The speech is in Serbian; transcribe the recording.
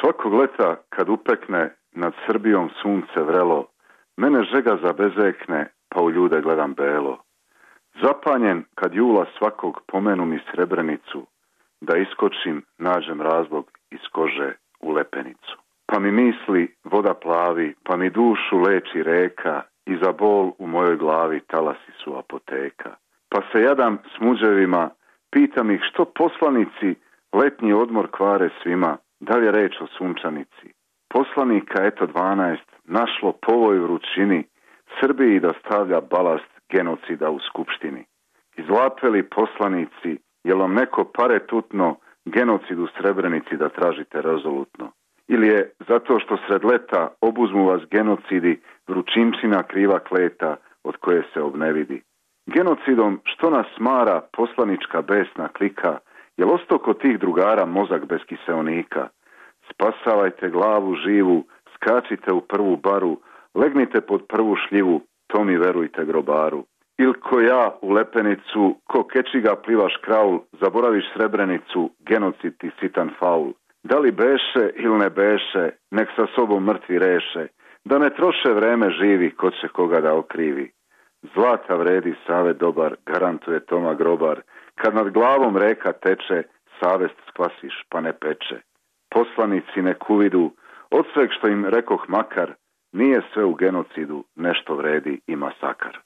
Svakog leta kad upekne nad Srbijom sunce vrelo, mene žega zabezekne, pa u ljude gledam belo. Zapanjen kad jula svakog pomenu mi Srebrenicu, da iskočim, nađem razlog iz kože u lepenicu. Pa mi misli voda plavi, pa mi dušu leči reka, i za bol u mojoj glavi talasi su apoteka. Pa se jadam s muđevima, pitam ih što poslanici letnji odmor kvare svima, da li je reč o sunčanici. Poslanika eto 12 našlo po ovoj vrućini Srbiji da stavlja balast genocida u skupštini. Izlapeli poslanici, jel vam neko pare tutno genocid u Srebrenici da tražite rezolutno? Ili je zato što sred leta obuzmu vas genocidi vrućinčina kriva kleta od koje se obnevidi? Genocidom što nas smara poslanička besna klika, jel osto kod tih drugara mozak bez kiseonika? Spasavajte glavu živu, skačite u prvu baru, legnite pod prvu šljivu, to mi verujte grobaru. Il ko ja u lepenicu, ko kečiga plivaš kraul, zaboraviš Srebrenicu, genocid ti sitan faul. Da li beše ili ne beše, nek sa sobom mrtvi reše, da ne troše vreme živi, ko će koga da okrivi. Zlata vredi savet dobar, garantuje Toma Grobar, kad nad glavom reka teče, savest skvasiš pa ne peče. Poslanici nek uvidu, od sveg što im rekoh makar, nije sve u genocidu, nešto vredi i masakar.